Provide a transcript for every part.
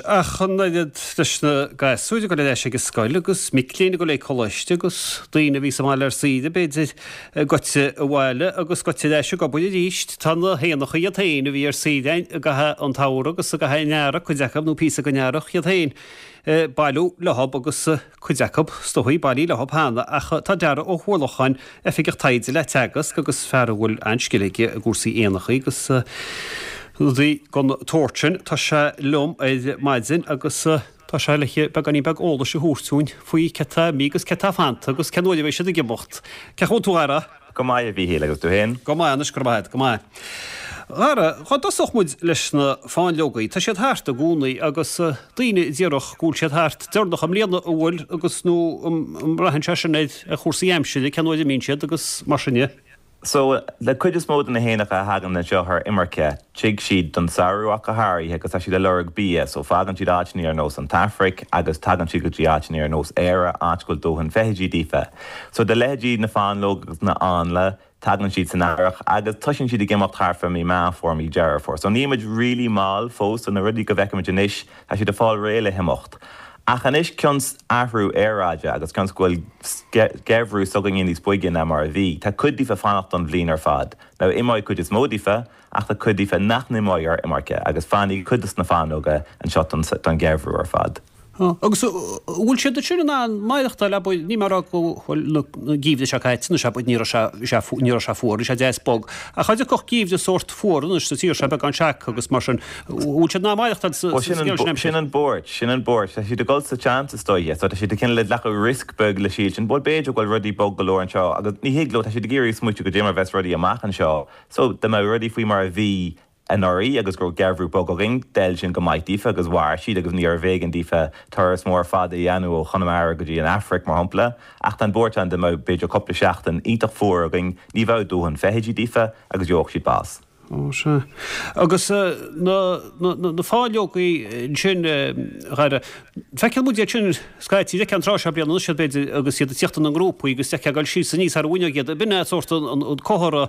Ach an oiread leis na gasúir ag dul ar ais ag an scoil agus mic léinn ag dul ag coláiste agus daoine a bhí sa mbaile ar saoire, b'fhéidir, goite abhaile agus goite ar ais ag obair arís. Tá na héanacha iad féin a bhí ar saoire i gcaitheamh an tsamhraidh agus i gcaitheamh an earraigh, cuid acu, nó píosa den earrach, iad féin ag bailiú leo agus cuid acu, is dóigh, bailithe leo cheana, ach tá Darragh Ó hUallacháin, Oifigeach Taighde le Teagasc agus fear a bhfuil an-scil aige i gcúrsaí éanachaí agus rudaí den tsórt sin, tá sé liom ar maidin agus tá sé le beagáinín beag eolais a thabhairt dúinn faoi cé tá imithe agus cé tá fanta agus cén uair a bheidh siad ag imeacht. Cén chaoi a bhfuil tú, a Dharragh? Go maith, a Mhíchíl, agus tú féin? Go maith anois, go raibh maith agat, go maith. A Dharragh, dhá dtosódh muid leis na fáinleogaí, tá siad thart i gcónaí agus daoine a déarfadh go bhfuil siad thart deireanach i mbliana, an bhfuil, agus nó an mbraitheann sé sin ar chúrsaí aimsire, cén uair a imíonn siad agus mar sin de? So, le cuid is mó de na héanacha a thagann anseo ar imirce, tig siad don samhradh ach go háirithe agus tá siad ag lorg bia, so fágann siad áiteanna ar nós an tAfraic agus tagann siad go dtí áiteanna ar nós Éire, áit go bhfuil dóthain feithidí daofa. So do leithéidí na fáinleog agus na áinle, tagann siad san earrach agus toisíonn siad ag imeacht thart fá mí Meán Fómhair, mí Deireadh Fómhair. So níl muid really mall fós, so na rudaí go bhfeicimid anois, tá siad ag fáil réidh le himeacht. Ach anois cionns athrú aeráide agus cionns go bhfuil geimhreadh s'againne níos boige ná mar a bhí, tá cuid daofa fanacht don bhliain ar fad. Now imeoidh cuid is mó daofa, ach tá cuid daofa nach n-imeoidh ar imirce agus fanfaidh cuid dos na fáinleoga anseo don gheimhreadh ar fad. Agus an bhfuil siad ansin in ann maireachtáil, abair, níl mé ag rá go bhfuil na geimhridh seo caite anois, abair, ní raibh sé, bhí sé, ní raibh sé fuar, bhí sé deas bog, ach cha dtiocfadh geimhreadh sórt fuar anois sa tír seo, beagán seaca agus mar sin, an bhfuil siad in ann maireachtáil sa scéal sin aimsir? Sin an buairt, sin an buairt. Tá siad ag dul sa tseans is dóiche, so tá siad ag cineál ag glacadh riosc beag le siad sin, bhuel b'fhéidir go bhfuil rudaí bog go leor anseo agus ní thig leo, tá siad ag iarraidh smaoitiú goidé mar a bheas rudaí amach anseo, so dá mbeadh rudaí faoi mar a bhí anuraidh agus go raibh geimhreadh bog againn, d'fheil sin go maith daofa agus mhair siad agus níorbh éigean daofa turas mór fada a dhéanamh ó Chonamara go dtí an Afraic, mar shampla. Ach tá an buairt ann dá mbeadh b'fhéidir cúpla seachtain iontach fuar againn, ní bheadh dóthain feithidí daofa agus gheobhadh siad bás. Ó, sea. Agus na, na, na fáinleogaí ansin, a Dhara, feiceann muid iad sin scaití, d'fheicfeá an tráth seo bliana anois iad b'fhéidir agus iad ag tíocht ina ngrúpaí agus d'fheicfeá ag dul síos aníos thar an bhfuinneog iad, b'in é sórt an, an comhartha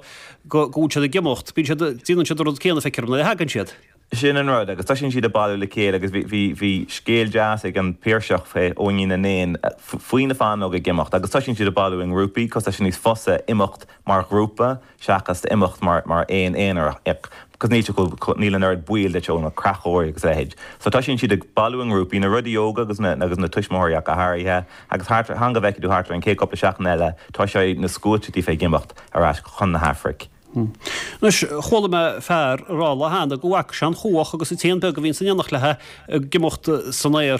go bhfuil siad ag imeacht. Bíonn siad, déanann siad an rud céanna, feictear dom, nuair a thagann siad. Sin an rud, agus toisíonn siad ag bailiú le chéile agus bhí, bhí, bhí scéal deas ag an Piarsach fé Eoinín na nÉan faoi na fáinleoga ag imeacht agus toisíonn siad ag bailiú i ngrúpaí cos tá sé níos fusa imeacht mar ghrúpa seachas imeacht mar, mar éan aonarach cos níl sé chomh, níl an oiread baol duit ó na creachóirí agus a leithéid. So toisíonn siad ag bailiú i ngrúpaí, na rudaí óga agus na, agus na tuismitheoirí ach go háirithe agus thart, fan go bhfeicfidh tú thart ar an chéad cúpla seachtain eile toiseoidh na sluaite daofa ag imeacht ar ais chun na hAfraic. Anois, chuala mé fear ag rá lá cheana go bhfaca sé an chuach agus an t-éan beag a bhíonn san éineacht léi ag imeacht san aer.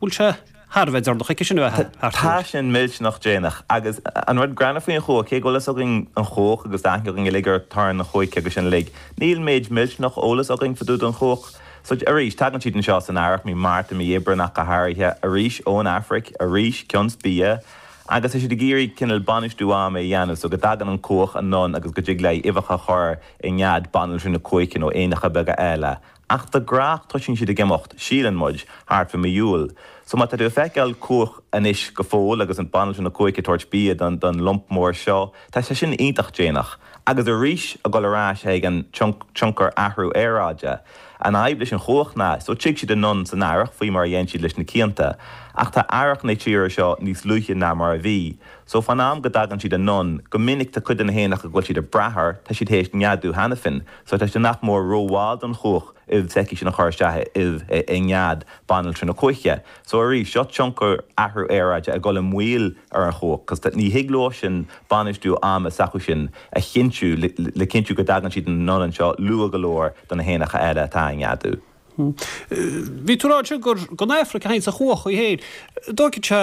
Bhfuil sé thar a bheith deireanach aici sin a bheith thart Tá sin millteanach déanach. Agus an rud greannmhar faoin chuach, cé go bhfuil fhios againn an chuach agus tá aithne againn uilig ar torann na cuaiche agus sin uilig, níl méid millteanach eolas againn fá dtaobh den chuach. So, arís, tagann siad anseo san earrach, mí Márta, mí Aibreán ach go háirithe, arís ón Afraic, arís cionns bia, Agus tá siad ag iarraidh cineál bainistiú ama a dhéanamh so go dtagann an cuach anonn agus go dtig léi uibheacha a chur i nead banaltra na cuaiche nó éanacha beaga eile. Ach de gnách toisíonn siad ag imeacht, síleann muid, thart fá mí Iúil. So má tá tú ag feiceáil cuach anois go fóill agus an banaltra na cuaiche ag tabhairt bia don don lump mór seo, tá sé sin iontach déanach. Agus arís ag dul ar ais ag an tionchar athrú aeráide. An fhadhb leis an chuach ná, so tig siad anonn san earrach faoi mar a dhein siad leis na cianta, ach tá earrach na tíre seo níos luaithe ná mar a bhí. So fán am go dtagann siad anonn, go minic tá cuid de na héanacha go bhfuil siad ag brath air, tá siad théis neadú cheana féin. So tá sé nach mór rómhall don chuach ubh s'aici sin a chur isteach i ubh i nead banaltra na cuaiche. So arís, seo tionchar athrú aeráide ag dul i moill ar an chuach, cos ní thig leo sin bainistiú ama s'acu sin a chinntiú le cinntiú go dtagann siad anonn anseo luath go leor do na héanacha eile atá ag neadú. Bhí tú ag rá ansin gur gon Afraic a théanns an chuach í féin. Dtóigfidh sé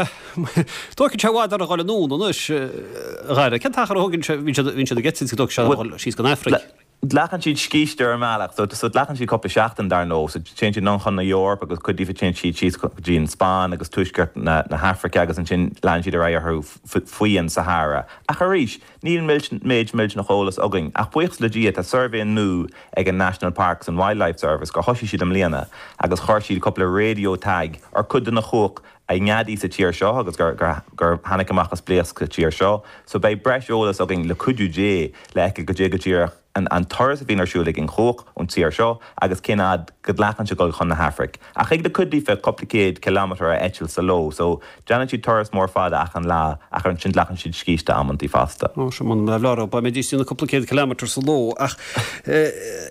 dtóigfidh sé i bhfad orthu a dhul anonn anois, a Dhara. Cén t-achar a thógann sé, bhíonn siad bhíonn siad ag eitilt go dtógfaidh sé a dhul síos gon Afraic? Glacann siad scíste ar an mbealach, so so glacann siad cúpla seachtain dar ndóigh, so téann siad anonn chun na Eorpa agus cuid díobh téann siad síos go dtí an Spáinn agus tuaisceart na na hAfraice agus ansin leanann siad ar aghaidh orthu faoi an Sahara. Ach arís, níl méid millteanach eolas againn. Ach buíochas le Dia tá suirbhé nua ag an National Parks and Wildlife Service gur thosaigh siad i mbliana agus chuir siad cúpla radio tag ar cuid de na cuach a neadaigh sa tír seo agus gur gur tháinig amach as blaosc sa tír seo. So beidh breis eolas againn le cuidiú Dé le fheiceáil goidé go díreach. an turas a bhíonn ar siúl ag an chuach ón tír seo agus cén fhad go nglacann sé dul chun na hAfraic. Ach thig le cuid díofa cúpla céad kilometre a eitilt sa ló so déanann siad turas mór fada achan lá ach ansin glacann siad scíste amantaí fosta. Ó sea, muna mbeadh leor dá mbeidís ag déanamh cúpla céad kilometre sa ló. Ach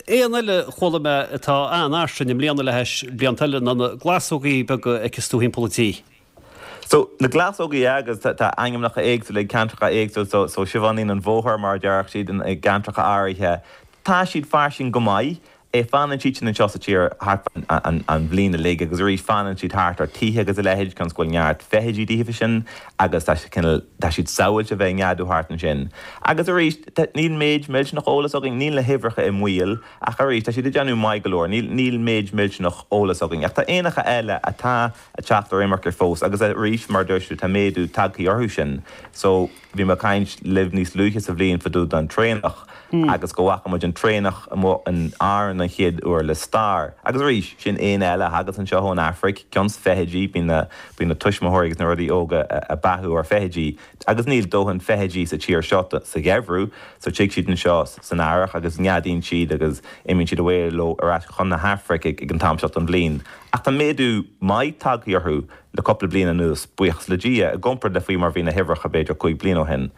éan eile a chuala mé atá an-fhairsing i mbliana le hais blianta eile ná na glasógaí beaga a fheiceas tú thimpeall an tí. So, na glasógaí agus tá ainmneacha éagsúla ag ceantracha éagsúla, so, so siobháinín an bhóthair mar a déarfadh siad i gceantracha áirithe. Tá siad fairsing go maith. Eh, fanann siad sin anseo sa tír thart an, an bhliain uilig agus arís fanann siad thart ar tithe agus a leithéid cionn is go bhfuil neart feithidí daofa sin agus tá sé cineál, tá siad sábháilte a bheith ag neadú thart ansin. Agus arís, tá, níl méid millteanach eolas againn, níl na huimhreacha i mbaol ach arís tá siad ag déanamh maith go leor, níl, níl méid millteanach eolas againn. Ach tá éanacha eile atá ag teacht ar imirce fós agus arís mar a dúirt tú tá méadú tagthaí orthu sin so bhí mé ag caint libh níos luaithe sa bhliain fá dtaobh den traonach agus go bhfaca muid an traonach amuigh in Árainn an chéad uair le stair agus arís sin éan eile a thagas anseo ón Afraic cionn is feithidí bíonn na bíonn na tuismitheoirí agus na rudaí óga ag beathú ar feithidí agus níl dóthain feithidí sa tír seo sa gheimhreadh so tig siad anseo san earrach agus neadaíonn siad agus imíonn siad away leo ar ais chun na hAfraice ag an t-am seo den bhliain. Ach tá méadú maith tagtha orthu le cúpla bliain anuas, buíochas le Dia, i gcomparáid le faoi mar bhí na huimhreacha b'fhéidir 5 bliana ó shin,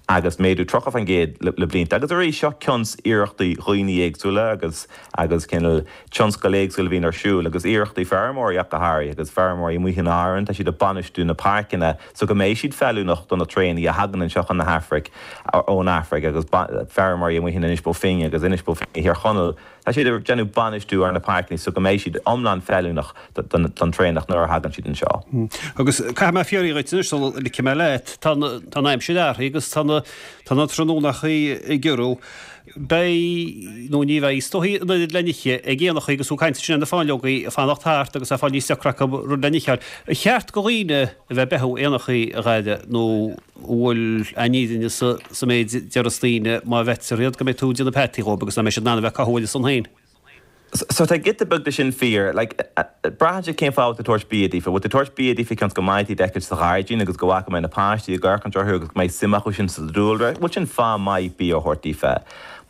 agus méadú 30% le blianta. Agus arís, seo cionn is iarrachtaí dhaoine éagsúla agus agus cineál tionscail éagsúla a bhíonn ar siúl agus iarrachtaí feirmeoirí ach go háirithe agus feirmeoirí amuigh in Árainn, tá siad ag bainistiú na páirceanna so go mbeidh siad feiliúnach do na traonaigh a thagann anseo chun na hAfraic ón Afraic agus feirmeoirí amuigh in Inis Bó Finne agus Inis Bó Finne i Thír Chonaill. Tá siad ag déanamh bainistiú ar na páirceanna so go mbeidh siad iomlán feiliúnach don traonach nuair a thagann siad anseo. Agus caithfidh mé fiafraí dhuit anois sula ligfidh mé leat, tá an aimsir athraithe agus tá na tá na tráthnónachaí ag giorrú. Beidh, nó ní bheidh, is dóichí an oiread le n-ithe ag éanachaí agus tú ag caint ansin ar na fáinleogaí ag fanacht thart agus é ag fáil níos deacra acu rud le n-ithe a fháil. Ar cheart do dhaoine a bheith ag beathú éanachaí a Dhara nó bhfuil an fhírinne sa méid a déarfas daoine má bheaitear iad go mbeidh tú ag déanamh peataí dhóibh agus nach mbeidh siad in ann a bheith ag cothú ar a son féin. So tá giota beag de sin fíor. Like, braitheann sé cén fáth a bhfuil tú ag tabhairt bia daofa. Bhfuil tú ag tabhairt bia daofa cionn is go mbeidh tú iad a fheiceáil sa ghairdín agus go bhfaca mé na páistí ag amharcaint orthu agus go mbeidh suim acu sin sa dúlra? Bhuel sin fáth maith bia a thabhairt daofa.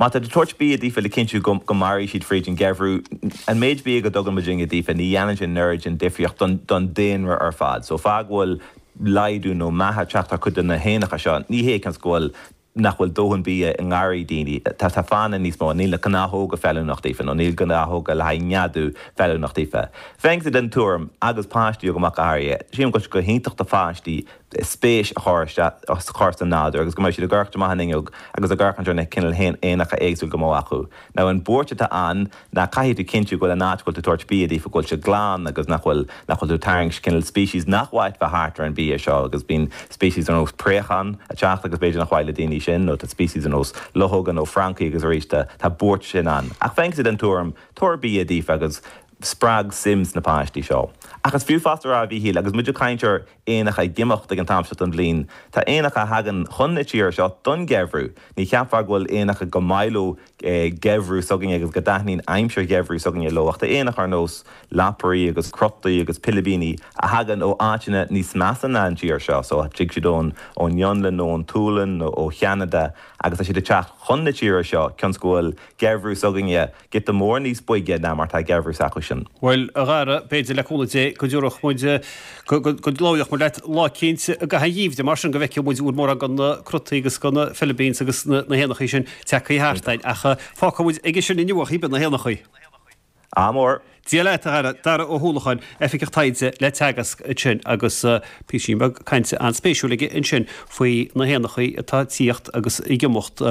Má tá tú ag tabhairt bia daofa le cinntiú go go mairfidh siad fríd an gheimhreadh, an méid bia go dtugann muidinne daofa ní dhéanann sé an oiread sin difríocht don don daonra ar fad. So fáth go bhfuil laghdú nó meath ag teacht ar chuid de na héanacha seo. Ní hé cionn is go bhfuil nach bhfuil dóthain bia i ngarraí daoine. Tá tá fáthanna níos mó. Níl na gnáthóga feiliúnach daofa nó níl gnáthóga le haghaidh neadú feiliúnach daofa. Bheinnse den tuairim, agus páistí agam ach go háirithe, sílim go bhfuil sé go hiontach do pháistí spéis a chur isteach a chur sa nádúr agus go mbeidh siad ag amharc amach an fhuinneog agus ag amharc ar na cineál éanacha éagsúil go mbeadh acu. Now an buairt atá ann ná caithfidh tú cinntiú go bhfuil an áit go bhfuil tú tabhairt bia daofa go bhfuil sé glan agus nach bhfuil nach bhfuil tú ag tarraingt cineál species nach mhaith bheith thart ar an bia seo agus bíonn species ar nós préachán ag teacht agus b'fhéidir nach mhaith le daoine sin nó tá species ar nós luchóga nó francaigh agus arís tá tá buairt sin ann. Ach bheinnse den tuairim tabhair bia daofa agus spreag suim sna páistí seo. Ach is fiú fosta a rá a Mhíchíl agus muid ag caint ar éanacha ag imeacht ag an t-am seo den bhliain, tá éanacha a thagann chun na tíre seo don gheimhreadh. Ní cheapfá go bhfuil éanacha go maith leo geimhreadh s'againne agus go dtaitníonn aimsir gheimhridh s'againne leo ach tá éanacha ar nós lapairí agus crotaí agus pilibíní a thagann ó áiteanna níos measa ná an tír seo so tig siad ón ón Fhionlainn nó ón tSualainn nó ó Cheanada agus tá siad ag teacht chun na tíre seo cionn is go bhfuil geimhreadh s'againne giota mór níos boige ná mar tá geimhreadh s'acusan. Bhuel, a Dhara, b'fhéidir, le cúnamh Dé, go dtabharfadh muid, go labhródh muid leat lá eicínt i gcaitheamh an gheimhridh mar sin, go bhfeicfeadh muid bhfuil mórán de na crotaí agus de na philibines agus na héanachaí sin tagtha thart againn. Ach fágfaidh muid aige sin inniu, a chíbe, na héanachaí. Ádh mór. Dia leat, a Dhara. Dara Ó hUallacháin, Oifigeach Taighde le Teagasc ansin agus píosín beag cainte an-spéisiúil aige ansin faoi na héanachaí atá ag tíocht agus ag imeacht.